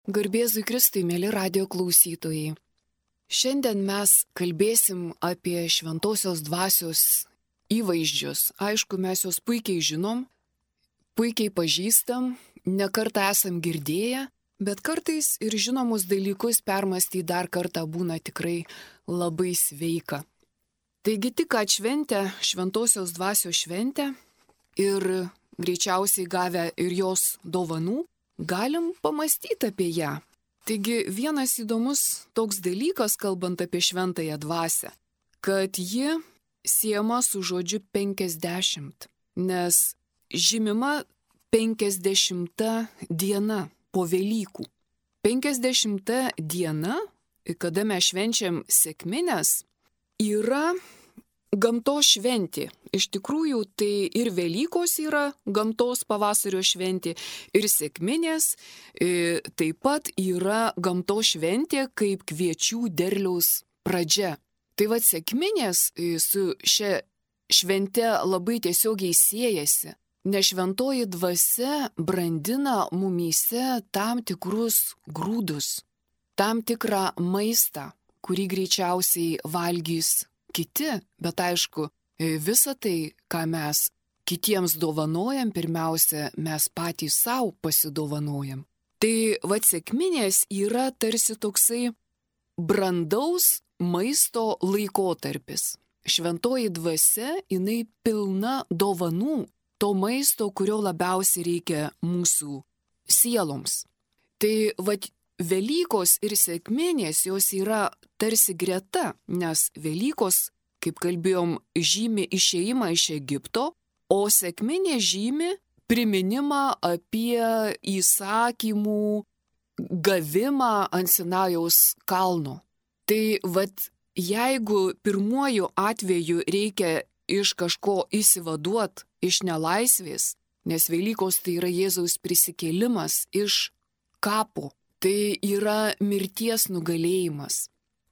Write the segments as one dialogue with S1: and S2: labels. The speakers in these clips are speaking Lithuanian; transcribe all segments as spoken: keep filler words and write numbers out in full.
S1: Garbėzui Kristui, mėly radijo klausytojai. Šiandien mes kalbėsim apie šventosios dvasios įvaizdžius. Aišku, mes juos puikiai žinom, puikiai pažįstam, nekartą esam girdėję, bet kartais ir žinomus dalykus permastyti dar kartą būna tikrai labai sveika. Taigi tik atšventę šventosios dvasios šventę ir greičiausiai gavę ir jos dovanų, galim pamastyti apie ją. Taigi vienas įdomus toks dalykas, kalbant apie šventąją dvasią, kad ji siejama su žodžiu penkiasdešimt, nes žymima penkiasdešimta diena po Velykų. penkiasdešimta diena, kada mes švenčiam sekmines, yra gamtos šventė. Iš tikrųjų, tai ir Velykos yra gamtos pavasario šventė, ir sekminės e, taip pat yra gamtos šventė kaip kviečių derliaus pradžia. Tai vad sekminės e, su šia švente labai tiesiogiai siejasi, nes šventoji dvasia brandina mumyse tam tikrus grūdus, tam tikrą maistą, kurį greičiausiai valgys kiti, bet aišku, visa tai, ką mes kitiems dovanojam, pirmiausia, mes patys savo pasidovanojam. Tai vat sekminės yra tarsi toksai brandaus maisto laikotarpis. Šventoji dvasia, jinai pilna dovanų, to maisto, kurio labiausiai reikia mūsų sieloms. Tai vat Velykos ir sekminės jos yra tarsi greta, nes Velykos, kaip kalbėjom, žymi išėjimą iš Egipto, o sekminė žymi priminimą apie įsakymų gavimą ant Sinajaus kalno. Tai vat jeigu pirmuoju atveju reikia iš kažko išsivaduot, iš nelaisvės, nes Velykos tai yra Jėzaus prisikėlimas iš kapo, tai yra mirties nugalėjimas.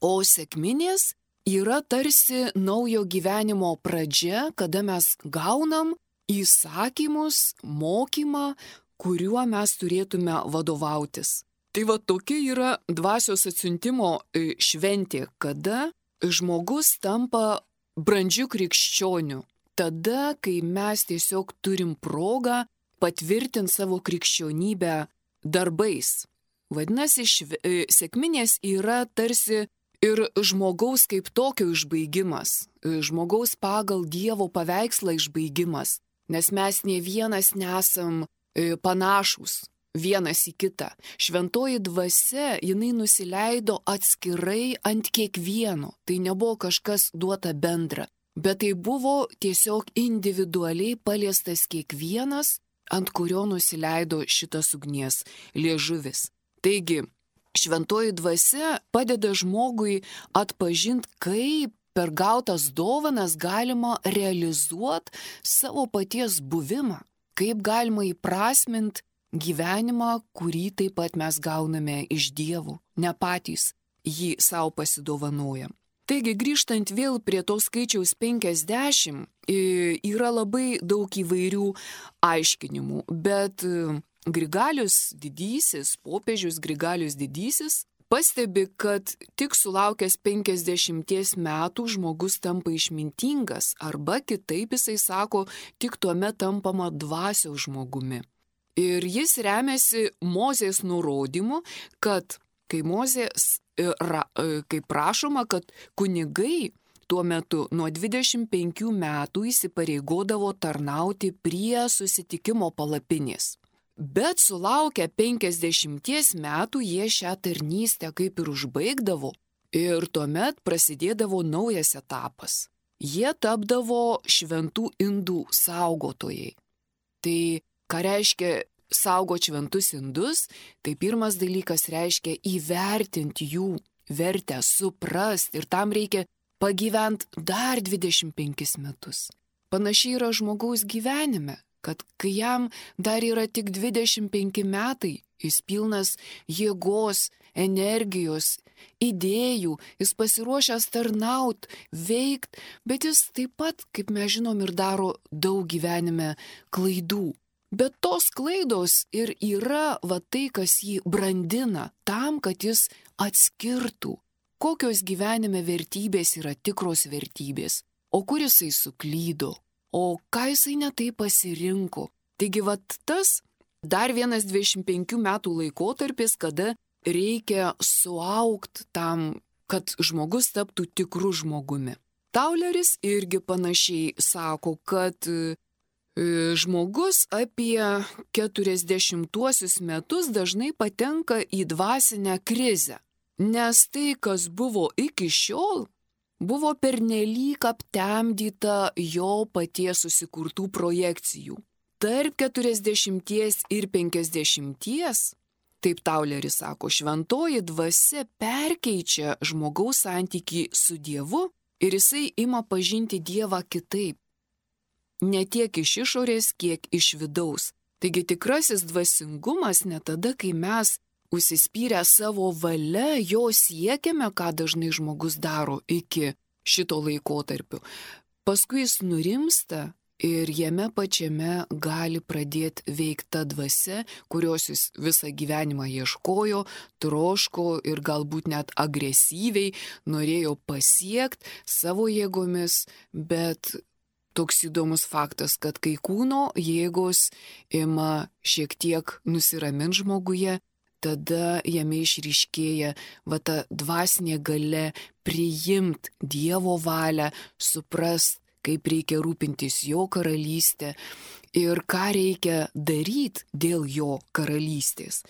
S1: O sekminės yra tarsi naujo gyvenimo pradžia, kada mes gaunam įsakymus, mokymą, kuriuo mes turėtume vadovautis. Tai va tokia yra dvasios atsiuntimo šventė, kada žmogus tampa brandžiu krikščioniu. Tada, kai mes tiesiog turim progą patvirtinti savo krikščionybę darbais. Vadinasi, šve, sekminės yra tarsi ir žmogaus kaip tokio išbaigimas, žmogaus pagal Dievo paveikslą išbaigimas, nes mes ne vienas nesam panašus vienas į kitą. Šventoji dvasia, jinai nusileido atskirai ant kiekvieno, tai nebuvo kažkas duota bendra, bet tai buvo tiesiog individualiai paliestas kiekvienas, ant kurio nusileido šitas ugnies liežuvis. Taigi, šventoji dvasia padeda žmogui atpažinti, kaip per gautas dovanas galima realizuoti savo paties buvimą, kaip galima įprasminti gyvenimą, kurį taip pat mes gauname iš Dievo, ne patys jį savo pasidovanojam. Taigi, grįžtant vėl prie to skaičiaus penkiasdešimt, yra labai daug įvairių aiškinimų, bet Grigalius didysis, popiežius Grigalius didysis, pastebi, kad tik sulaukęs penkiasdešimties metų žmogus tampa išmintingas, arba kitaip jisai sako, tik tuomet tampama dvasios žmogumi. Ir jis remiasi Mozės nurodymu, kad kai Mozės, kaip prašoma, kad kunigai tuo metu nuo dvidešimt penkių metų įsipareigodavo tarnauti prie susitikimo palapinės. Bet sulaukę penkiasdešimties metų jie šią tarnystę kaip ir užbaigdavo ir tuomet prasidėdavo naujas etapas. Jie tapdavo šventų indų saugotojai. Tai ką reiškia saugot šventus indus, tai pirmas dalykas reiškia įvertinti jų vertę, suprasti ir tam reikia pagyventi dar dvidešimt penkis metus. Panašiai yra žmogaus gyvenime, kad kai jam dar yra tik dvidešimt penki metai, jis pilnas jėgos, energijos, idėjų, jis pasiruošęs tarnaut, veikt, bet jis taip pat, kaip mes žinom, ir daro daug gyvenime klaidų. Bet tos klaidos ir yra va tai, kas jį brandina tam, kad jis atskirtų, kokios gyvenime vertybės yra tikros vertybės, o kur jisai suklydo, o ką jisai netai pasirinko. Taigi va tas dar vienas dvidešimt penkių metų laikotarpis, kada reikia suaugti tam, kad žmogus taptų tikru žmogumi. Tauleris irgi panašiai sako, kad žmogus apie keturiasdešimtuosius metus dažnai patenka į dvasinę krizę, nes tai, kas buvo iki šiol, buvo pernelyg aptemdyta jo paties susikurtų projekcijų. Tarp keturiasdešimties ir penkiasdešimties, taip Tauleris sako, šventoji dvasia perkeičia žmogaus santykį su Dievu ir jisai ima pažinti Dievą kitaip. Ne tiek iš išorės, kiek iš vidaus. Taigi tikrasis dvasingumas ne tada, kai mes užsispyrę savo valia jo siekiame, ką dažnai žmogus daro iki šito laikotarpio. Paskui jis nurimsta ir jame pačiame gali pradėti veikti ta dvasia, kurios jis visą gyvenimą ieškojo, troško ir galbūt net agresyviai norėjo pasiekti savo jėgomis, bet toks įdomus faktas, kad kai kūno jėgos ima šiek tiek nusiraminti žmoguje, tada jame išryškėja va ta dvasinė galia priimti Dievo valią, suprast, kaip reikia rūpintis jo karalystę ir ką reikia daryti dėl jo karalystės.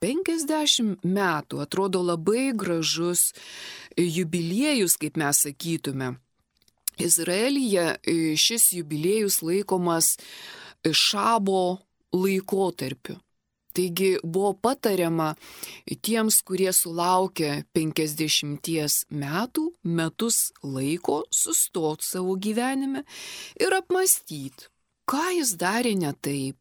S1: penkiasdešimt metų atrodo labai gražus jubiliejus, kaip mes sakytume. Izraelyje šis jubiliejus laikomas šabo laikotarpiu. Taigi buvo patariama tiems, kurie sulaukia penkiasdešimties metų, metus laiko sustoti savo gyvenime ir apmastyti, ką jis darė ne taip,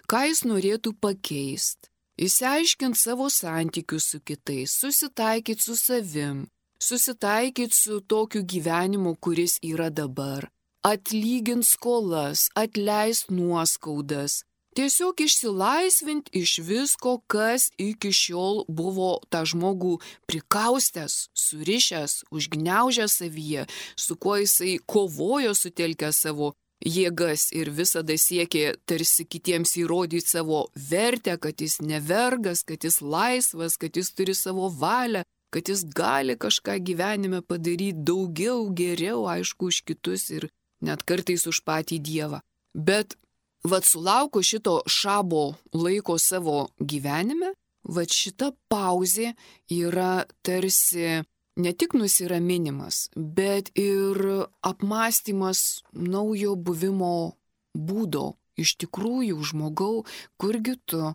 S1: ką jis norėtų pakeisti, išsiaiškinti savo santykius su kitais, susitaikyti su savim, susitaikyti su tokiu gyvenimu, kuris yra dabar, atlyginti skolas, atleisti nuoskaudas, tiesiog išsilaisvinti iš visko, kas iki šiol buvo tą žmogų prikaustęs, surišęs, užgniaužęs savyje, su kuo jisai kovojo sutelkęs savo jėgas ir visada siekė tarsi kitiems įrodyti savo vertę, kad jis nevergas, kad jis laisvas, kad jis turi savo valią, kad jis gali kažką gyvenime padaryti daugiau, geriau, aišku, už kitus ir net kartais už patį Dievą. Bet vat sulauko šito šabo laiko savo gyvenime, vat šita pauzė yra tarsi ne tik nusiraminimas, bet ir apmąstymas naujo buvimo būdo. Iš tikrųjų, žmogau, kurgi tu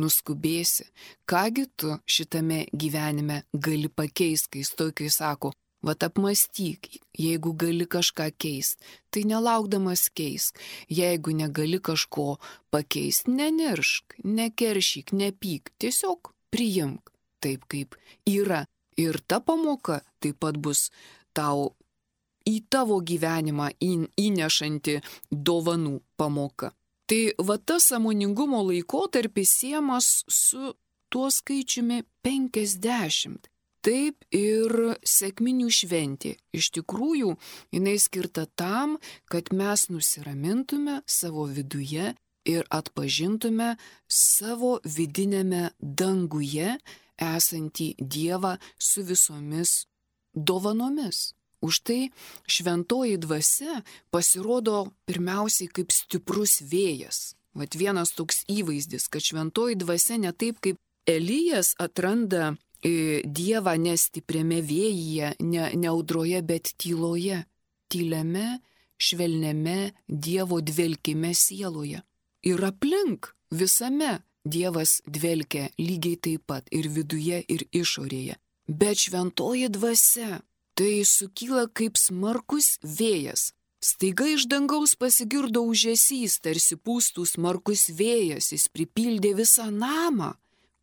S1: nuskubėsi, kągi tu šitame gyvenime gali pakeisti, kai stoikai sako, vat apmąstyk, jeigu gali kažką keisti, tai nelaukdamas keisk, jeigu negali kažko pakeisti, neniršk, nekeršyk, nepyk, tiesiog priimk taip, kaip yra. Ir ta pamoka taip pat bus tau į tavo gyvenimą įnešanti dovanų pamoka. Tai va tas sąmoningumo laikotarpis siejamas su tuo skaičiumi penkiasdešimt. Taip ir sekminių šventė. Iš tikrųjų, jinai skirta tam, kad mes nusiramintume savo viduje ir atpažintume savo vidinėme danguje esantį Dievą su visomis dovanomis. Už tai šventoji dvasia pasirodo pirmiausiai kaip stiprus vėjas. Vat vienas toks įvaizdis, kad šventoji dvasia ne taip kaip Elijas atranda Dievą ne stipriame vėjyje, ne, ne audroje, bet tyloje, tyliame, švelniame Dievo dvelkime sieloje. Ir aplink visame Dievas dvelkia lygiai taip pat ir viduje, ir išorėje. Bet šventoji dvasia tai sukyla kaip smarkus vėjas. Staiga iš dangaus pasigirdo ūžesys, tarsi pūstų smarkus vėjas, jis pripildė visą namą,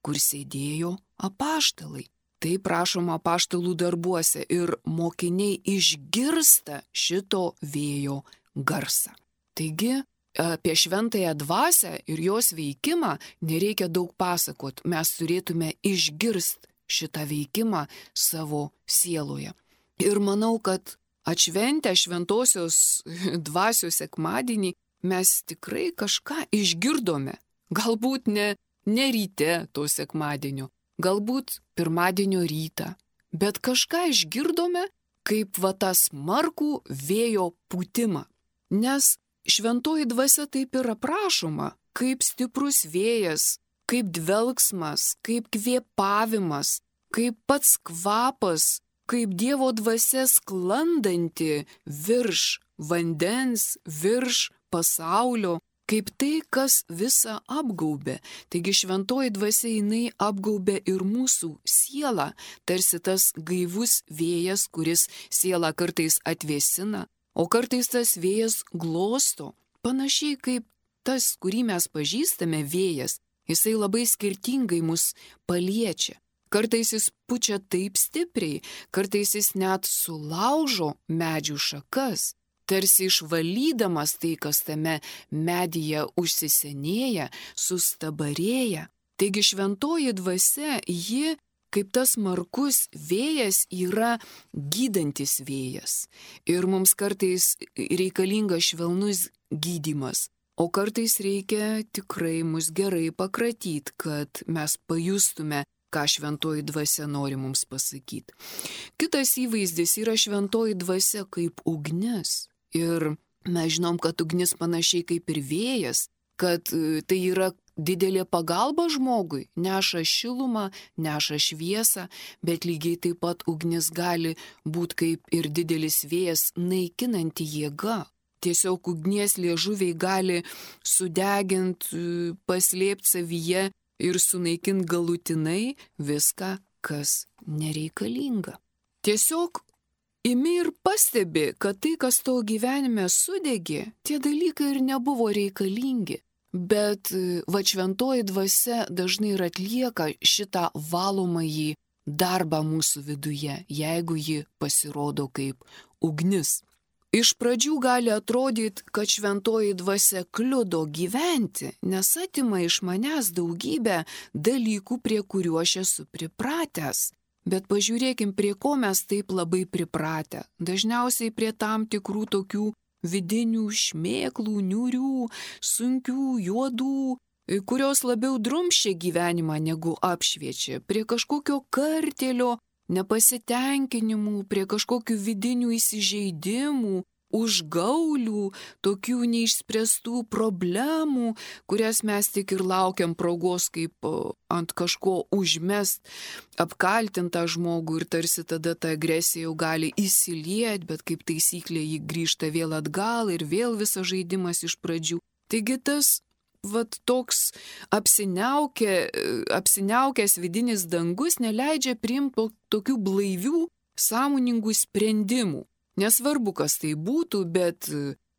S1: kur sėdėjo apaštalai. Tai prašoma apaštalų darbuose ir mokiniai išgirsta šito vėjo garsą. Taigi, apie šventąją dvasią ir jos veikimą nereikia daug pasakot. Mes turėtume išgirsti šitą veikimą savo sieloje. Ir manau, kad atšventę šventosios dvasios sekmadienį mes tikrai kažką išgirdome. Galbūt ne, ne ryte to sekmadienio, galbūt pirmadienio rytą, bet kažką išgirdome kaip va tas smarkų vėjo pūtimą. Nes šventoji dvasia taip ir aprašoma, kaip stiprus vėjas, kaip dvelksmas, kaip kvėpavimas, kaip pats kvapas, kaip Dievo dvasia sklandanti virš vandens, virš pasaulio, kaip tai, kas visą apgaubė. Taigi šventoji dvasia jinai apgaubė ir mūsų sielą, tarsi tas gaivus vėjas, kuris sielą kartais atvėsina, o kartais tas vėjas glosto. Panašiai kaip tas, kurį mes pažįstame vėjas, jisai labai skirtingai mus paliečia. Kartais jis pučia taip stipriai, kartais jis net sulaužo medžių šakas, tarsi išvalydamas tai, kas tame medyje užsisenėja, sustabarėja. Taigi šventoji dvasia, ji, kaip tas smarkus vėjas, yra gydantis vėjas. Ir mums kartais reikalingas švelnus gydymas, o kartais reikia tikrai mus gerai pakratyti, kad mes pajustume, ką šventoji dvasia nori mums pasakyti. Kitas įvaizdis yra šventoji dvasia kaip ugnis. Ir mes žinom, kad ugnis panašiai kaip ir vėjas, kad tai yra didelė pagalba žmogui, neša šilumą, neša šviesą, bet lygiai taip pat ugnis gali būti kaip ir didelis vėjas naikinanti jėga. Tiesiog ugnies liežuviai gali sudeginti, paslėpti savyje ir sunaikinti galutinai viską, kas nereikalinga. Tiesiog imi ir pastebi, kad tai, kas tavo gyvenime sudegė, tie dalykai ir nebuvo reikalingi. Bet va šventoji dvasia dažnai ir atlieka šitą valomąjį darbą mūsų viduje, jeigu ji pasirodo kaip ugnis. Iš pradžių gali atrodyti, kad šventoji dvasia kliudo gyventi, nes atima iš manęs daugybę dalykų, prie kurių aš esu pripratęs. Bet pažiūrėkim, prie ko mes taip labai pripratę. Dažniausiai prie tam tikrų tokių vidinių šmėklų, niūrių, sunkių, juodų, kurios labiau drumsčia gyvenimą negu apšviečia. Prie kažkokio kartėlio, nepasitenkinimų, prie kažkokių vidinių įsižeidimų, užgaulių, tokių neišspręstų problemų, kurias mes tik ir laukiam progos kaip ant kažko užmest, apkaltintą žmogų ir tarsi tada ta agresija jau gali įsilieti, bet kaip taisyklė ji grįžta vėl atgal ir vėl visas žaidimas iš pradžių. Taigi tas vat toks apsiniaukė, apsiniaukęs vidinis dangus neleidžia priimti tokių blaivių, sąmoningų sprendimų. Nesvarbu, kas tai būtų, bet,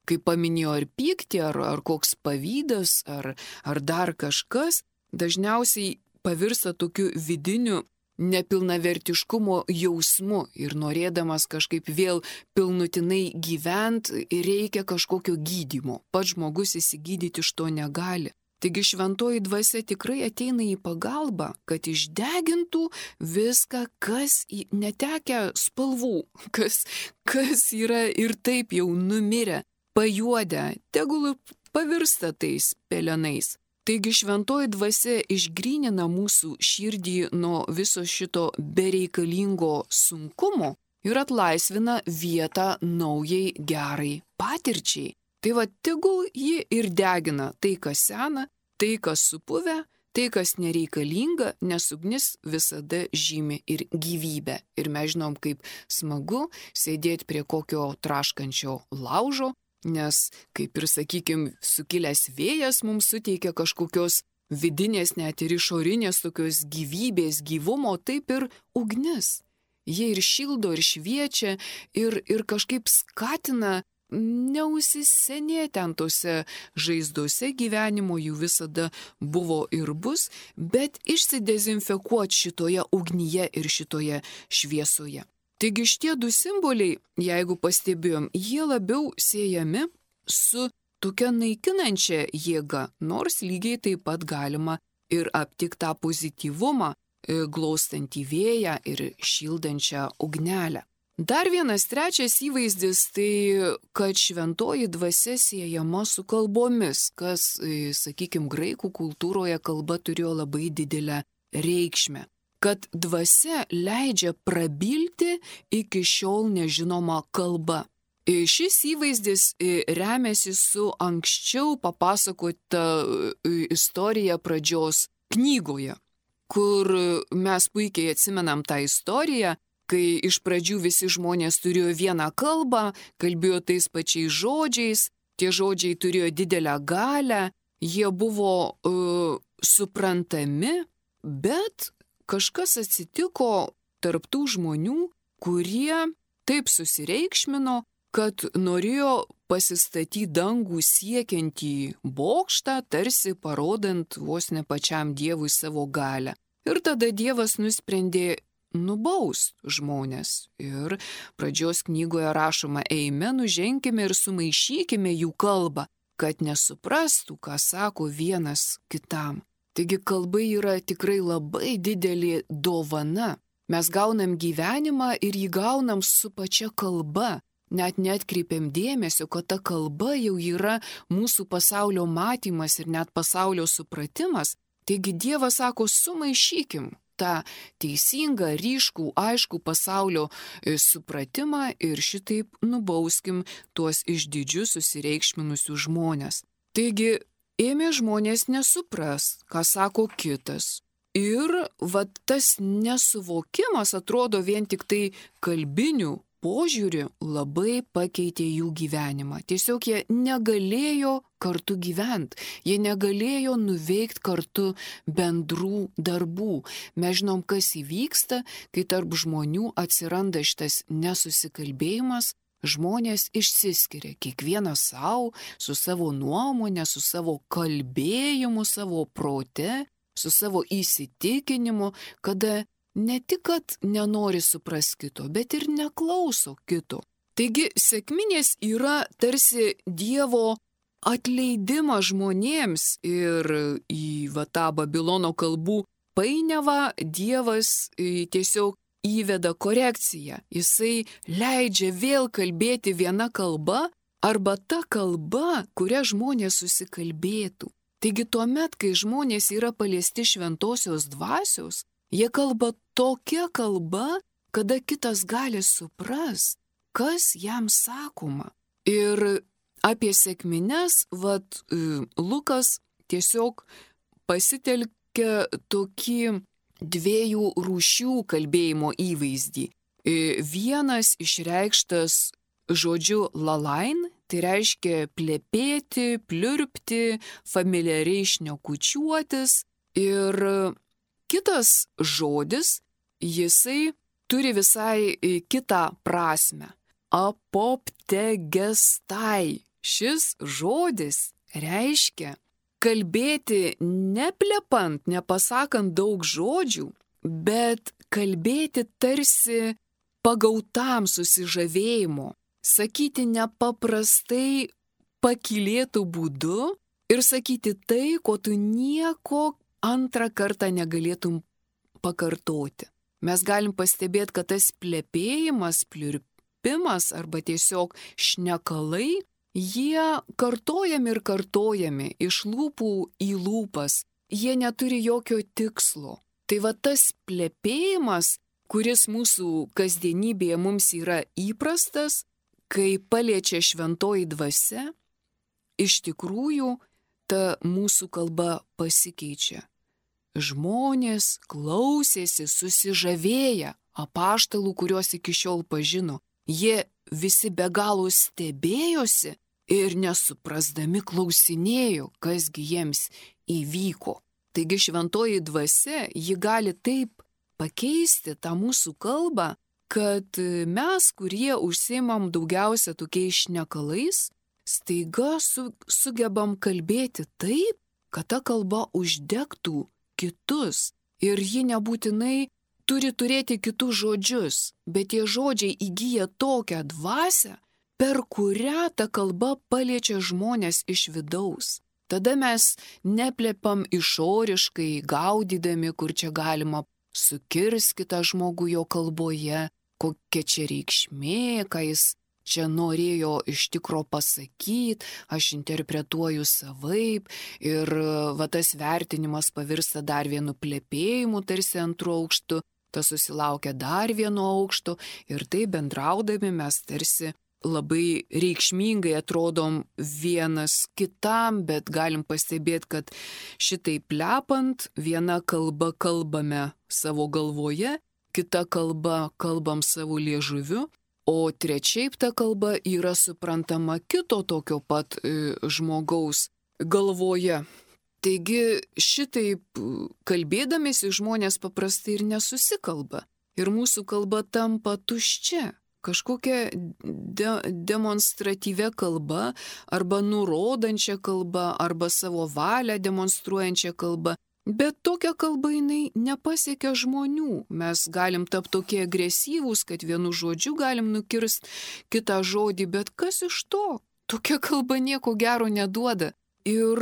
S1: kaip paminėjo, ar pyktį, ar, ar koks pavydas, ar, ar dar kažkas, dažniausiai pavirsta tokiu vidiniu nepilnavertiškumo jausmu ir norėdamas kažkaip vėl pilnutinai gyventi, reikia kažkokio gydymo. Pats žmogus įsigydyti iš to negali. Taigi šventoji dvasia tikrai ateina į pagalbą, kad išdegintų viską, kas netekę spalvų, kas, kas yra ir taip jau numirę, pajuodę, tegul pavirsta tais pelenais. Taigi šventoji dvasia išgrynina mūsų širdį nuo viso šito bereikalingo sunkumo ir atlaisvina vietą naujai gerai patirčiai. Tai va, tegul ji ir degina tai, kas sena, tai, kas supuvę, tai, kas nereikalinga, nes ugnis visada žymi ir gyvybę. Ir mes žinom, kaip smagu sėdėti prie kokio traškančio laužo, nes, kaip ir, sakykime, sukilęs vėjas mums suteikia kažkokios vidinės, net ir išorinės tokios gyvybės, gyvumo, taip ir ugnis. Jie ir šildo, ir šviečia, ir, ir kažkaip skatina neusisenėti ant tose žaizdose gyvenimo, jų visada buvo ir bus, bet išsidezinfekuoti šitoje ugnyje ir šitoje šviesoje. Taigi šitie du simboliai, jeigu pastebėjom, jie labiau siejami su tokia naikinančia jėga, nors lygiai taip pat galima ir aptikti tą pozityvumą, glaustantį vėją ir šildančią ugnelę. Dar vienas trečias įvaizdis tai, kad šventoji dvasia siejama su kalbomis, kas, sakykime, graikų kultūroje kalba turėjo labai didelę reikšmę. Kad dvasia leidžia prabilti iki šiol nežinoma kalba. Šis įvaizdis remiasi su anksčiau papasakota istorija pradžios knygoje, kur mes puikiai atsimenam tą istoriją, kai iš pradžių visi žmonės turėjo vieną kalbą, kalbėjo tais pačiais žodžiais, tie žodžiai turėjo didelę galią, jie buvo uh, suprantami, bet kažkas atsitiko tarp tų žmonių, kurie taip susireikšmino, kad norėjo pasistatyti dangų siekiantį bokštą, tarsi parodant vos ne pačiam Dievui savo galią. Ir tada Dievas nusprendė nubaust žmonės. Ir pradžios knygoje rašoma, eime, nuženkime ir sumaišykime jų kalbą, kad nesuprastų, ką sako vienas kitam. Taigi kalba yra tikrai labai didelė dovana. Mes gaunam gyvenimą ir jį gaunam su pačia kalba. Net neatkreipiam dėmesio, kad ta kalba jau yra mūsų pasaulio matymas ir net pasaulio supratimas. Taigi Dievas sako, sumaišykim tą teisingą, ryškų, aiškų pasaulio supratimą ir šitaip nubauskim tuos išdidžius susireikšminusius žmonės. Taigi ėmė žmonės nesupras, ką sako kitas. Ir vat tas nesuvokimas atrodo vien tik tai kalbinių požiūrį labai pakeitė jų gyvenimą. Tiesiog jie negalėjo kartu gyventi, jie negalėjo nuveikti kartu bendrų darbų. Mes žinom, kas įvyksta, kai tarp žmonių atsiranda šitas nesusikalbėjimas, žmonės išsiskiria, kiekvienas savo, su savo nuomonė, su savo kalbėjimu, savo prote, su savo įsitikinimu, kada ne tik, kad nenori supras kito, bet ir neklauso kito. Taigi sekminės yra tarsi Dievo atleidimas žmonėms ir į va, tą Babilono kalbų painiavą Dievas tiesiog įveda korekciją. Jisai leidžia vėl kalbėti viena kalba arba ta kalba, kuria žmonės susikalbėtų. Taigi tuomet, kai žmonės yra paliesti šventosios dvasios, jie kalba tokia kalba, kada kitas gali suprast, kas jam sakoma. Ir apie sekmines, vat, Lukas tiesiog pasitelkia tokį dviejų rūšių kalbėjimo įvaizdį. Vienas išreikštas žodžiu lalain, tai reiškia plepėti, pliurpti, familiariai šnekučiuotis. Ir kitas žodis, jisai turi visai kitą prasme. Apoptegestai. Šis žodis reiškia kalbėti neplepant, nepasakant daug žodžių, bet kalbėti tarsi pagautam susižavėjimo, sakyti nepaprastai pakylėtų būdu ir sakyti tai, ko tu nieko antrą kartą negalėtum pakartoti. Mes galim pastebėti, kad tas plepėjimas, pliurpimas arba tiesiog šnekalai, jie kartojami ir kartojami iš lūpų į lūpas, jie neturi jokio tikslo. Tai va tas plepėjimas, kuris mūsų kasdienybėje mums yra įprastas, kai paliečia šventoji dvasia, iš tikrųjų ta mūsų kalba pasikeičia. Žmonės klausėsi susižavėję apaštalų, kuriuos iki šiol pažino. Jie visi be galo stebėjosi ir nesuprasdami klausinėjo, kasgi jiems įvyko. Taigi šventoji dvasia, ji gali taip pakeisti tą mūsų kalbą, kad mes, kurie užsiimam daugiausia tokiais šnekalais, staiga su, sugebam kalbėti taip, kad ta kalba uždegtų kitus. Ir ji nebūtinai turi turėti kitus žodžius, bet tie žodžiai įgyja tokią dvasią, per kurią ta kalba paliečia žmonės iš vidaus. Tada mes neplepam išoriškai, gaudydami, kur čia galima sukirsti kitą žmogų jo kalboje, kokia čia reikšmė, ką jis čia norėjo iš tikro pasakyti, aš interpretuoju savaip ir va tas vertinimas pavirsta dar vienu plepėjimu, tarsi antru aukštu, tas susilaukia dar vieno aukšto ir tai bendraudami mes tarsi labai reikšmingai atrodom vienas kitam, bet galim pastebėti, kad šitai plepant viena kalba kalbame savo galvoje, kita kalba kalbam savo liežuviu, o trečiaip ta kalba yra suprantama kito tokio pat e, žmogaus galvoje. Taigi šitaip kalbėdamėsi žmonės paprastai ir nesusikalba. Ir mūsų kalba tampa tuščia. Kažkokia de demonstratyvia kalba, arba nurodančia kalba, arba savo valią demonstruojančia kalba. Bet tokia kalba jinai nepasiekia žmonių. Mes galim tapti tokie agresyvūs, kad vienu žodžiu galim nukirsti kitą žodį, bet kas iš to? Tokia kalba nieko gero neduoda. Ir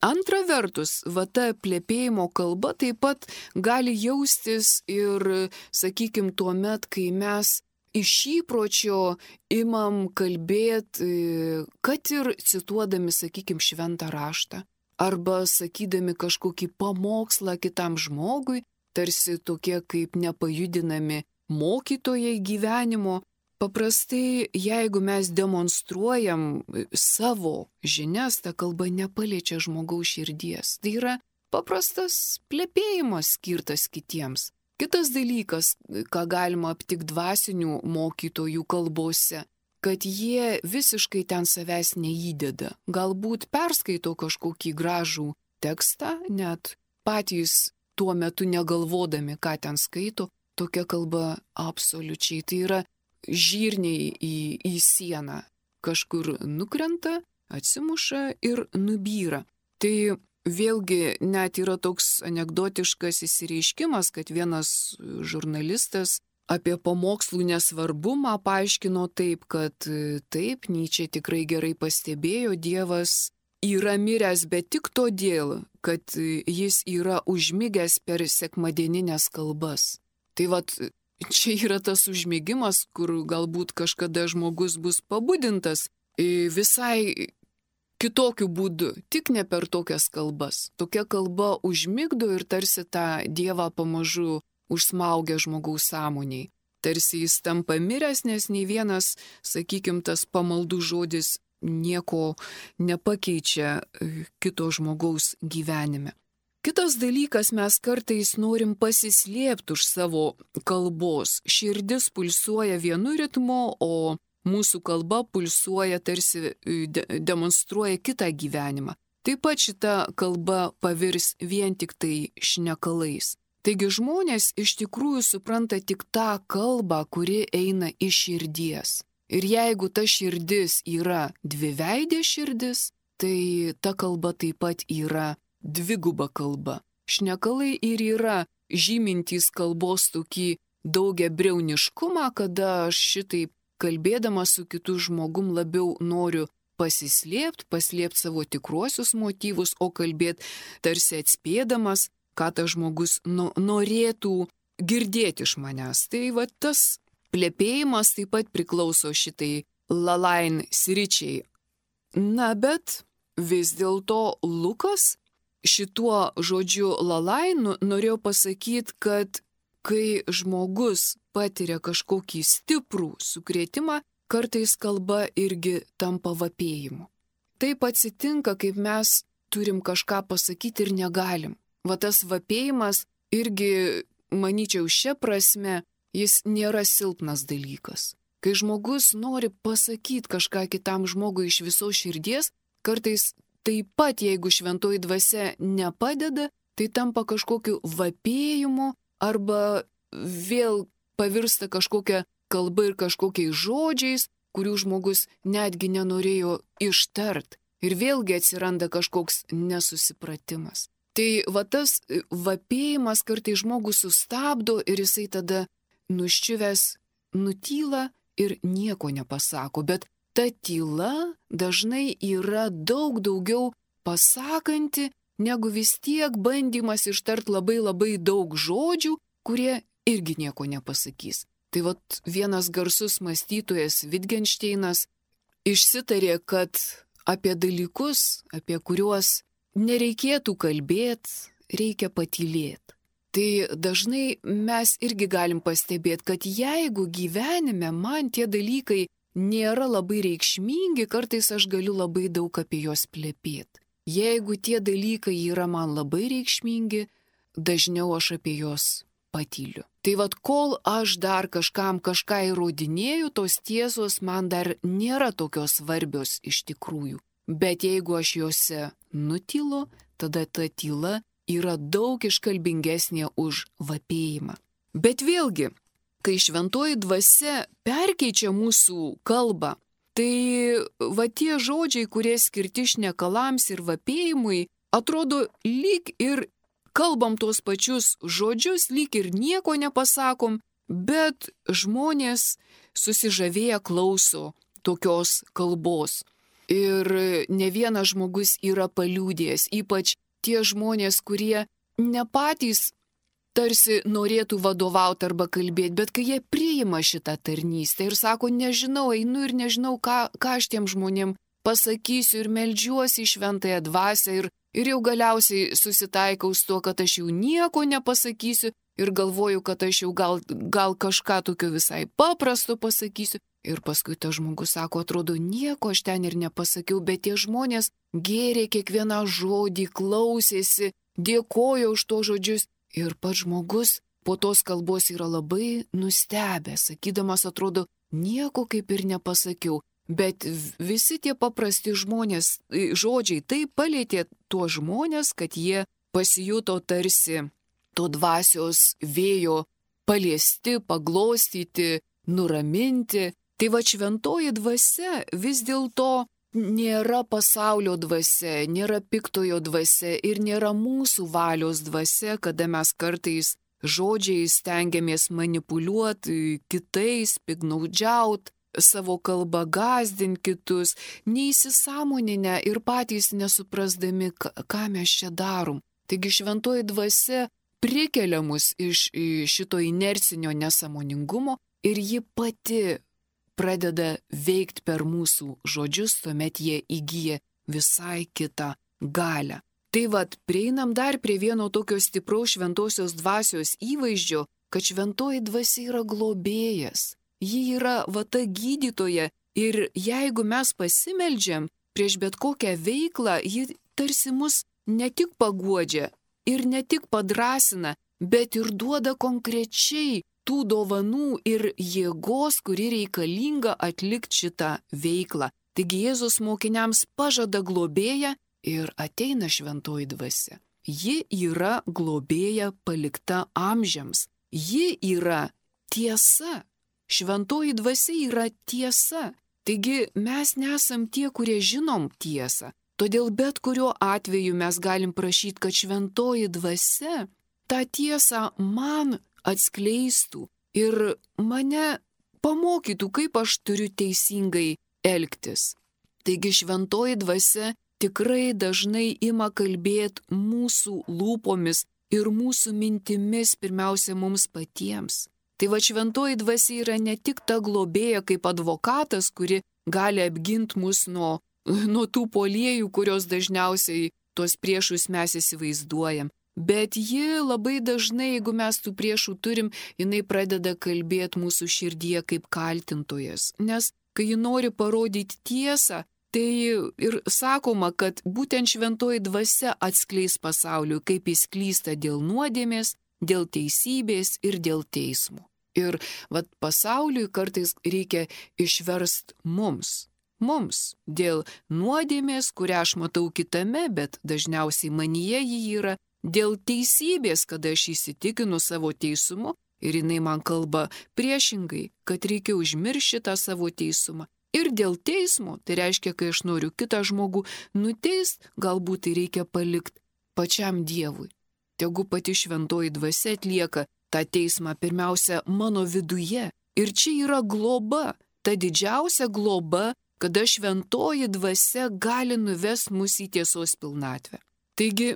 S1: antra vertus, va ta plepėjimo kalba taip pat gali jaustis ir, sakykim, tuo met, kai mes iš įpročio imam kalbėti, kad ir cituodami, sakykim, šventą raštą, arba sakydami kažkokį pamokslą kitam žmogui, tarsi tokie kaip nepajudinami mokytojai gyvenimo. Paprastai, jeigu mes demonstruojam savo žinias, ta kalba nepaliečia žmogaus širdies. Tai yra paprastas plepėjimas skirtas kitiems. Kitas dalykas, ką galima aptikti dvasinių mokytojų kalbose, kad jie visiškai ten savęs neįdeda. Galbūt perskaito kažkokį gražų tekstą, net patys tuo metu negalvodami, ką ten skaito, tokia kalba absoliučiai. Tai yra žirniai į, į sieną. Kažkur nukrenta, atsimuša ir nubyra. Tai vėlgi net yra toks anekdotiškas įsireiškimas, kad vienas žurnalistas apie pamokslų nesvarbumą paaiškino taip, kad taip, Nyčė tikrai gerai pastebėjo, Dievas yra miręs, bet tik todėl, kad jis yra užmigęs per sekmadieninės kalbas. Tai vat, čia yra tas užmigimas, kur galbūt kažkada žmogus bus pabudintas visai kitokiu būdu, tik ne per tokias kalbas. Tokia kalba užmigdo ir tarsi tą Dievą pamažu užsmaugia žmogaus sąmoniai. Tarsi jis tampa miręs, nes nei vienas, sakykim, tas pamaldų žodis nieko nepakeičia kito žmogaus gyvenime. Kitas dalykas, mes kartais norim pasislėpti už savo kalbos. Širdis pulsuoja vienu ritmu, o mūsų kalba pulsuoja, tarsi de demonstruoja kitą gyvenimą. Taip pat šita kalba pavirs vien tik tai šnekalais. Taigi žmonės iš tikrųjų supranta tik tą kalbą, kuri eina iš širdies. Ir jeigu ta širdis yra dviveidė širdis, tai ta kalba taip pat yra dviguba kalba. Šnekalai ir yra žymintys kalbos tokį daugiabriauniškumą, kada aš šitaip kalbėdamas su kitu žmogum labiau noriu pasislėpti, paslėpti savo tikruosius motyvus, o kalbėti tarsi atspėdamas, ką tas žmogus no, norėtų girdėti iš manęs. Tai va tas plepėjimas taip pat priklauso šitai lalain sričiai. Na, bet vis dėlto Lukas šituo žodžiu lalain norėjo pasakyti, kad kai žmogus patiria kažkokį stiprų sukrėtimą, kartais kalba irgi tampa vapėjimu. Taip atsitinka, kaip mes turim kažką pasakyti ir negalim. Va tas vapėjimas irgi, manyčiau, šia prasme, jis nėra silpnas dalykas. Kai žmogus nori pasakyti kažką kitam žmogui iš visos širdies, kartais taip pat, jeigu šventoji dvasia nepadeda, tai tampa kažkokiu vapėjimu arba vėl pavirsta kažkokia kalba ir kažkokiais žodžiais, kurių žmogus netgi nenorėjo ištart. Ir vėlgi atsiranda kažkoks nesusipratimas. Tai va tas vapėjimas kartais žmogus sustabdo ir jisai tada nuščiuvęs nutyla ir nieko nepasako. Bet ta tyla dažnai yra daug daugiau pasakanti, negu vis tiek bandymas ištart labai labai daug žodžių, kurie irgi nieko nepasakys. Tai vat vienas garsus mąstytojas Wittgensteinas išsitarė, kad apie dalykus, apie kuriuos nereikėtų kalbėti, reikia patylėti. Tai dažnai mes irgi galim pastebėti, kad jeigu gyvenime man tie dalykai nėra labai reikšmingi, kartais aš galiu labai daug apie juos plepėti. Jeigu tie dalykai yra man labai reikšmingi, dažniau aš apie juos patyliu. Tai vad, kol aš dar kažkam kažką įrodinėju, tos tiesos man dar nėra tokios svarbios iš tikrųjų. Bet jeigu aš juose nutylu, tada ta tyla yra daug iškalbingesnė už vapėjimą. Bet vėlgi, kai šventoji dvasia perkeičia mūsų kalbą, tai va tie žodžiai, kurie skirti šnekalams ir vapėjimui, atrodo lyg ir kalbam tuos pačius žodžius, lyg ir nieko nepasakom, bet žmonės susižavėję klauso tokios kalbos. Ir ne vienas žmogus yra paliūdėjęs, ypač tie žmonės, kurie ne patys tarsi norėtų vadovauti arba kalbėti, bet kai jie priima šitą tarnystę ir sako, nežinau, einu ir nežinau, ką, ką aš tiem žmonėm pasakysiu ir meldžiuosi į šventąją dvasią ir, ir jau galiausiai susitaikau su tuo, kad aš jau nieko nepasakysiu ir galvoju, kad aš jau gal, gal kažką tokio visai paprasto pasakysiu. Ir paskui tas žmogus sako, atrodo, nieko aš ten ir nepasakiau, bet tie žmonės gėrė kiekvieną žodį, klausėsi, dėkojo už to žodžius. Ir pats žmogus po tos kalbos yra labai nustebęs, sakydamas, atrodo, nieko kaip ir nepasakiau. Bet visi tie paprasti žmonės, žodžiai taip palėtė tuos žmonės, kad jie pasijuto tarsi to dvasios vėjo paliesti, paglostyti, nuraminti. Tai va šventoji dvasia vis dėlto nėra pasaulio dvasia, nėra piktojo dvasia ir nėra mūsų valios dvasia, kada mes kartais žodžiais stengiamės manipuliuoti kitais, piknaudžiauti, savo kalbą gąsdinti kitus, neįsisąmoninę ir patys nesuprasdami, ką mes čia darom. Taigi šventoji dvasia prikelia mus iš šito inercinio nesąmoningumo ir ji pati pradeda veikti per mūsų žodžius, tuomet jie įgyja visai kitą galią. Tai vad, prieinam dar prie vieno tokio stipraus šventosios dvasios įvaizdžio, kad šventoji dvasia yra globėjas. Ji yra va ta gydytoja ir jeigu mes pasimeldžiam prieš bet kokią veiklą, ji tarsi mus ne tik paguodžia ir ne tik padrasina, bet ir duoda konkrečiai tų dovanų ir jėgos, kuri reikalinga atlikti šitą veiklą. Taigi Jėzus mokiniams pažada globėją ir ateina šventoji dvasia. Ji yra globėja palikta amžiams. Ji yra tiesa. Šventoji dvasia yra tiesa. Taigi mes nesam tie, kurie žinom tiesą. Todėl bet kuriuo atveju mes galim prašyti, kad šventoji dvasia tą tiesą man atskleistų ir mane pamokytų, kaip aš turiu teisingai elgtis. Taigi šventoji dvasia tikrai dažnai ima kalbėti mūsų lūpomis ir mūsų mintimis pirmiausia mums patiems. Tai va šventoji dvasia yra ne tik ta globėja kaip advokatas, kuri gali apginti mus nuo, nuo tų puolėjų, kurios dažniausiai tuos priešus mes įsivaizduojam. Bet ji labai dažnai, jeigu mes tų priešų turim, jinai pradeda kalbėti mūsų širdyje kaip kaltintojas. Nes kai ji nori parodyti tiesą, tai ir sakoma, kad būtent šventoji dvasia atskleis pasauliui, kaip jis klysta dėl nuodėmės, dėl teisybės ir dėl teismo. Ir vat pasauliui kartais reikia išverst mums. Mums dėl nuodėmės, kurią aš matau kitame, bet dažniausiai manyje ji yra, dėl teisybės, kada aš įsitikinu savo teisumu ir jinai man kalba priešingai, kad reikia užmiršti tą savo teisumą. Ir dėl teismo, tai reiškia, kai aš noriu kitą žmogų nuteist, galbūt tai reikia palikti pačiam Dievui. Tegu pati šventoji dvasia atlieka tą teismą pirmiausia mano viduje. Ir čia yra globa, ta didžiausia globa kada šventoji dvasia gali nuvesti mus į tiesos pilnatvę. Taigi,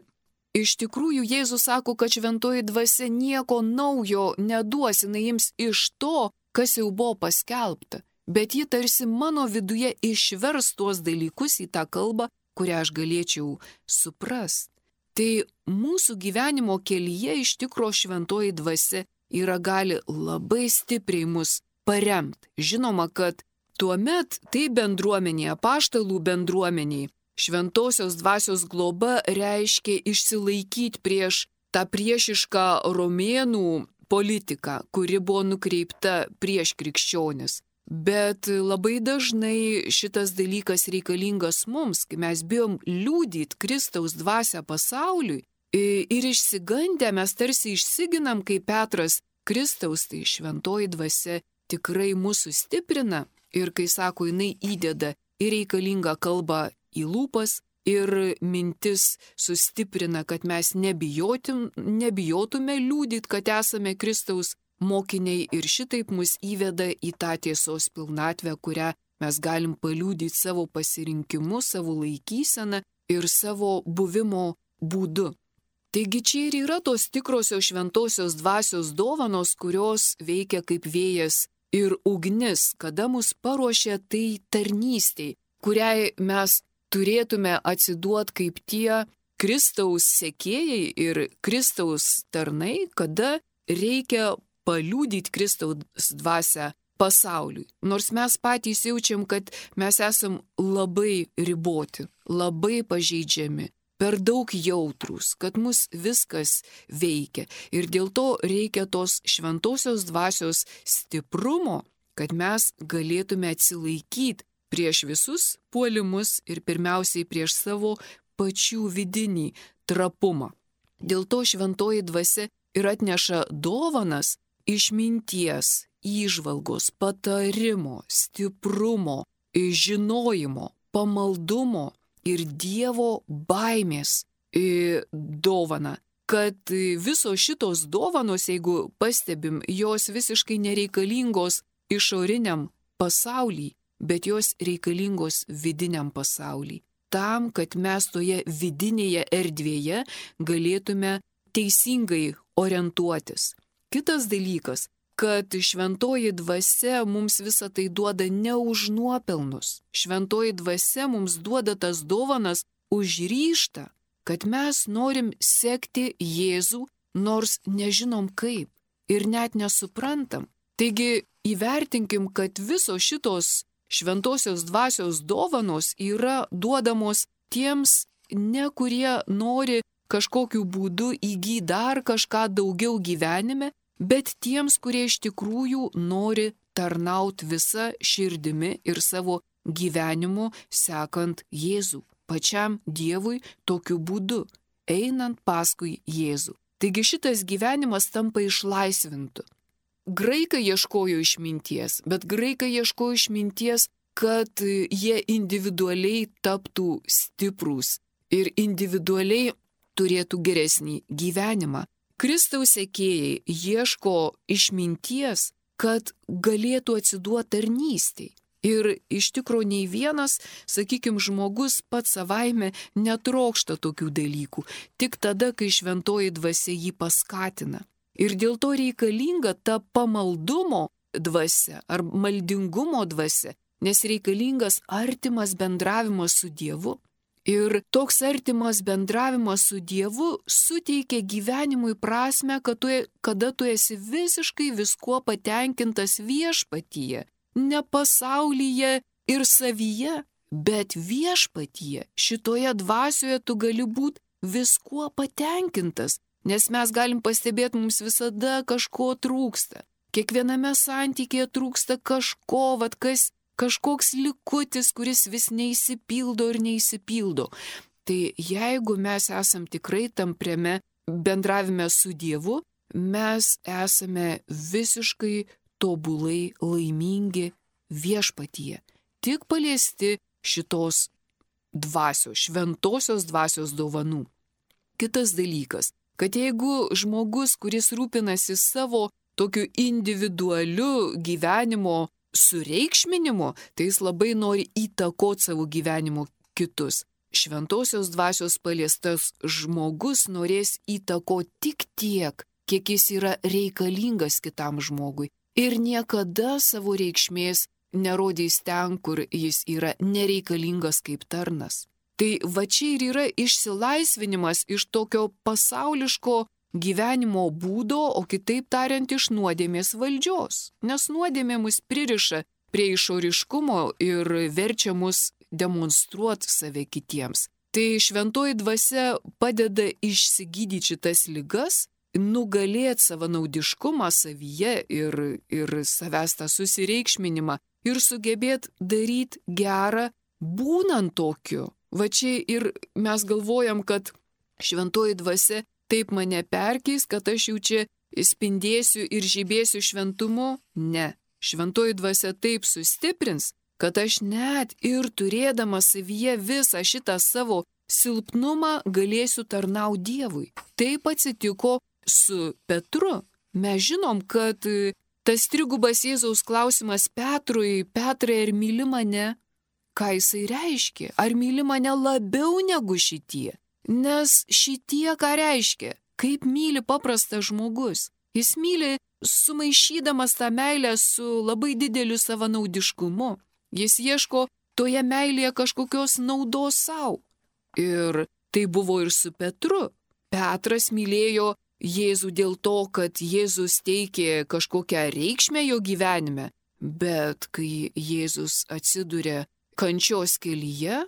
S1: iš tikrųjų Jėzus sako, kad šventoji dvasia nieko naujo neduos, jinai jums iš to, kas jau buvo paskelbta, bet ji tarsi mano viduje išvers tuos dalykus į tą kalbą, kurią aš galėčiau suprasti. Tai mūsų gyvenimo kelyje iš tikro šventoji dvasia yra gali labai stipriai mus paremti. Žinoma, kad tuomet tai bendruomenė, apaštalų bendruomeniai, šventosios dvasios globa reiškia išsilaikyti prieš tą priešišką romėnų politiką, kuri buvo nukreipta prieš krikščionis. Bet labai dažnai šitas dalykas reikalingas mums, kai mes bijom liudyti Kristaus dvasią pasauliui ir išsigandę mes tarsi išsiginam kaip Petras Kristaus, tai šventoji dvasia tikrai mūsų stiprina ir, kai sako, jinai įdeda ir reikalingą kalbą į lūpas ir mintis sustiprina, kad mes nebijotum, nebijotume liudyti, kad esame Kristaus mokiniai ir šitaip mus įveda į tą tiesos pilnatvę, kurią mes galim paliudyti savo pasirinkimu, savo laikyseną ir savo buvimo būdu. Taigi čia ir yra tos tikrosios šventosios dvasios dovanos, kurios veikia kaip vėjas ir ugnis, kada mus paruošia tai tarnystei, kuriai mes turėtume atsiduoti kaip tie Kristaus sekėjai ir Kristaus tarnai, kada reikia paliudyti Kristaus dvasią pasauliui. Nors mes patys jaučiam, kad mes esam labai riboti, labai pažeidžiami, per daug jautrūs, kad mus viskas veikia. Ir dėl to reikia tos šventosios dvasios stiprumo, kad mes galėtume atsilaikyti prieš visus puolimus ir pirmiausiai prieš savo pačių vidinį trapumą. Dėl to šventoji dvasia ir atneša dovanas išminties, įžvalgos, patarimo, stiprumo, žinojimo, pamaldumo ir Dievo baimės dovana. Kad visos šitos dovanos, jeigu pastebim, jos visiškai nereikalingos išoriniam pasauliui, bet jos reikalingos vidiniam pasauliui. Tam, kad mes toje vidinėje erdvėje galėtume teisingai orientuotis. Kitas dalykas, kad šventoji dvasia mums visą tai duoda ne už nuopelnus. Šventoji dvasia mums duoda tas dovanas už ryžtą, kad mes norim sekti Jėzų, nors nežinom kaip ir net nesuprantam. Taigi įvertinkim, kad visos šitos šventosios dvasios dovanos yra duodamos tiems, ne kurie nori kažkokiu būdu įgyti dar kažką daugiau gyvenime, bet tiems, kurie iš tikrųjų nori tarnauti visą širdimi ir savo gyvenimu sekant Jėzų, pačiam Dievui tokiu būdu, einant paskui Jėzų. Taigi šitas gyvenimas tampa išlaisvintu. Graikai ieškojo išminties, bet graikai ieškojo išminties, kad jie individualiai taptų stiprūs ir individualiai turėtų geresnį gyvenimą. Kristaus sekėjai ieško išminties, kad galėtų atsiduoti tarnystei. Ir iš tikrųjų nei vienas, sakykime, žmogus pats savaime netrokšta tokių dalykų, tik tada, kai šventoji dvasia jį paskatina. Ir dėl to reikalinga ta pamaldumo dvasia ar maldingumo dvasia, nes reikalingas artimas bendravimas su Dievu. Ir toks artimas bendravimas su Dievu suteikia gyvenimui prasme, kad tu, kada tu esi visiškai viskuo patenkintas viešpatyje, ne pasaulyje ir savyje, bet viešpatyje. Šitoje dvasioje tu gali būti viskuo patenkintas, nes mes galim pastebėti, mums visada kažko trūksta. Kiekviename santykėje trūksta kažko, vat kas kažkoks likutis, kuris vis neįsipildo ir neįsipildo. Tai jeigu mes esam tikrai tampriame bendravime su Dievu, mes esame visiškai tobulai laimingi viešpatyje. Tik paliesti šitos dvasios, šventosios dvasios dovanų. Kitas dalykas, kad jeigu žmogus, kuris rūpinasi savo tokiu individualiu gyvenimo sureikšminimu, tai jis labai nori įtakoti savo gyvenimo kitus. Šventosios dvasios paliestas žmogus norės įtakoti tik tiek, kiek jis yra reikalingas kitam žmogui. Ir niekada savo reikšmės nerodys ten, kur jis yra nereikalingas kaip tarnas. Tai va čia ir yra išsilaisvinimas iš tokio pasauliško gyvenimo būdo, o kitaip tariant, iš nuodėmės valdžios. Nes nuodėmė mus pririša prie išoriškumo ir verčia mus demonstruoti save kitiems. Tai šventoji dvasia padeda išsigydyti šitas ligas, nugalėti savanaudiškumą savyje ir, ir savęs tą susireikšminimą ir sugebėti daryti gerą, būnant tokiu. Va čia ir mes galvojam, kad šventoji dvasia taip mane perkeis, kad aš jau čia spindėsiu ir žibėsiu šventumu. Ne, šventoji dvasia taip sustiprins, kad aš net ir turėdama savyje visą šitą savo silpnumą galėsiu tarnauti Dievui. Taip atsitiko su Petru. Mes žinom, kad tas trigubas Jėzaus klausimas Petrui, Petrai, ar myli mane? Ką jisai reiškia? Ar myli mane labiau negu šitie? Nes šitie ką reiškia? Kaip myli paprastas žmogus? Jis myli sumaišydamas tą meilę su labai dideliu savanaudiškumu. Jis ieško toje meilėje kažkokios naudos savo. Ir tai buvo ir su Petru. Petras mylėjo Jėzų dėl to, kad Jėzus teikė kažkokią reikšmę jo gyvenime. Bet kai Jėzus atsiduria kančios kelyje,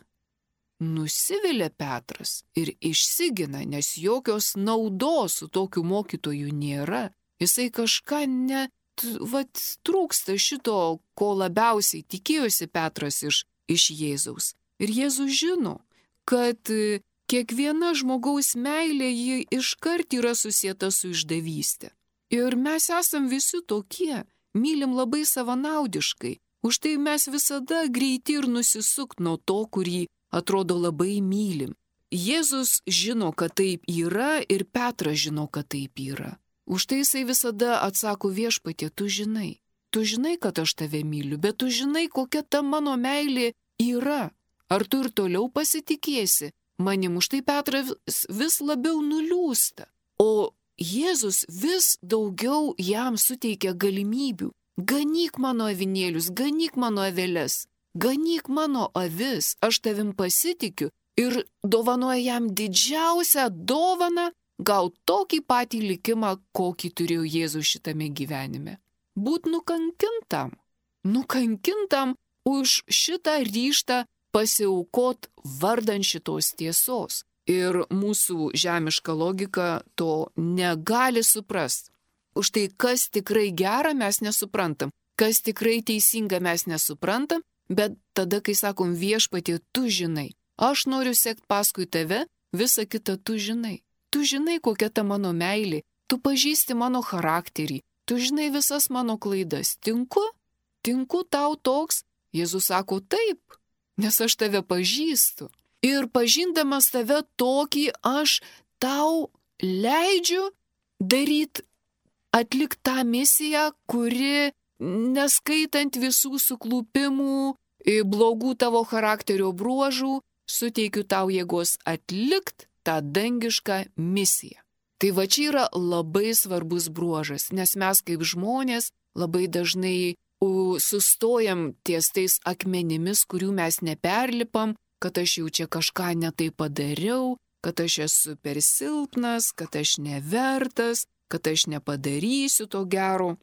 S1: nusivilia Petras ir išsigina, nes jokios naudos su tokiu mokytoju nėra. Jisai kažką net, vat, trūksta šito, ko labiausiai tikėjosi Petras iš, iš Jėzaus. Ir Jėzus žino, kad kiekviena žmogaus meilė ji iškart yra susieta su išdavystė. Ir mes esam visi tokie, mylim labai savanaudiškai. Už tai mes visada greiti ir nusisukt nuo to, kurį atrodo labai mylim. Jėzus žino, kad taip yra ir Petras žino, kad taip yra. Už tai jisai visada atsako: Viešpatie, tu žinai. Tu žinai, kad aš tave myliu, bet tu žinai, kokia ta mano meilė yra. Ar tu ir toliau pasitikėsi manim? Už tai Petras vis labiau nuliūsta. O Jėzus vis daugiau jam suteikia galimybių. Ganyk mano avinėlius, ganyk mano aveles, ganyk mano avis, aš tavim pasitikiu, ir dovanoja jam didžiausią dovaną gauti tokį patį likimą, kokį turėjo Jėzus šitame gyvenime. Būt nukankintam, nukankintam už šitą ryžtą pasiaukot vardan šitos tiesos. Ir mūsų žemiška logika to negali suprasti. Už tai, kas tikrai gera, mes nesuprantam. Kas tikrai teisinga, mes nesuprantam. Bet tada, kai sakom: Viešpatie, tu žinai, aš noriu sekti paskui tave, visą kitą tu žinai. Tu žinai, kokia ta mano meilė. Tu pažįsti mano charakterį. Tu žinai visas mano klaidas. Tinku? Tinku tau toks? Jėzus sako: taip, nes aš tave pažįstu. Ir pažindamas tave tokį, aš tau leidžiu daryti, atlikti tą misiją, kuri, neskaitant visų suklupimų, blogų tavo charakterio bruožų, suteikiu tau jėgos atlikti tą dangišką misiją. Tai va čia yra labai svarbus bruožas, nes mes kaip žmonės labai dažnai sustojam ties tais akmenimis, kurių mes neperlipam, kad aš jau čia kažką netai padariau, kad aš esu per silpnas, kad aš nevertas, kad aš nepadarysiu to gero.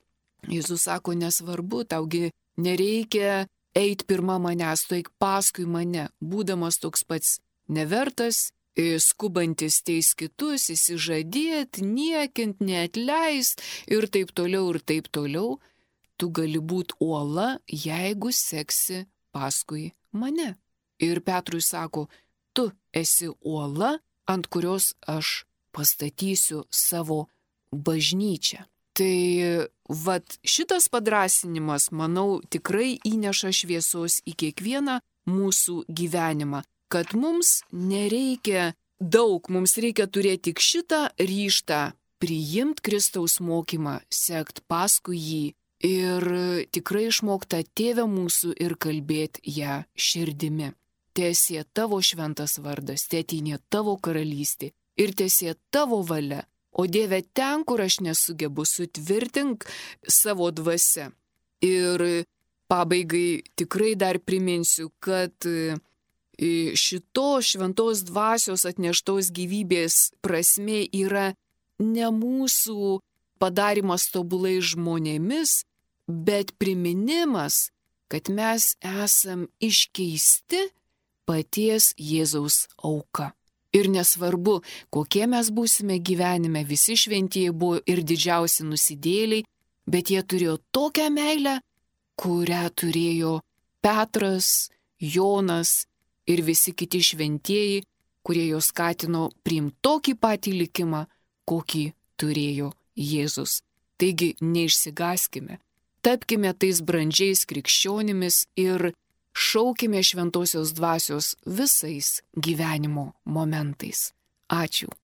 S1: Jėzus sako: nesvarbu, taugi nereikia eiti pirma manęs, tu eik paskui mane, būdamas toks pats nevertas, skubantis teis kitus, įsižadėti, niekint, neatleist ir taip toliau ir taip toliau. Tu gali būti uola, jeigu seksi paskui mane. Ir Petrui sako: tu esi uola, ant kurios aš pastatysiu savo bažnyčią. Tai vat šitas padrąsinimas, manau, tikrai įneša šviesos į kiekvieną mūsų gyvenimą, kad mums nereikia daug, mums reikia turėti tik šitą ryžtą priimti Kristaus mokymą, sekt paskui jį, ir tikrai išmokta Tėve mūsų ir kalbėti ją širdimi. Tiesie tavo šventas vardas, tėtinė tavo karalystė ir tiesie tavo valia. O Dieve, ten, kur aš nesugebu, sutvirtink savo dvasia. Ir pabaigai tikrai dar priminsiu, kad šitos šventos dvasios atneštos gyvybės prasmė yra ne mūsų padarimas tobulai žmonėmis, bet priminimas, kad mes esam iškeisti paties Jėzaus auka. Ir nesvarbu, kokie mes būsime gyvenime, visi šventieji buvo ir didžiausi nusidėliai, bet jie turėjo tokią meilę, kurią turėjo Petras, Jonas ir visi kiti šventieji, kurie juos skatino priimti tokį patį likimą, kokį turėjo Jėzus. Taigi neišsigąskime, tapkime tais brandžiais krikščionimis ir šaukime šventosios dvasios visais gyvenimo momentais. Ačiū.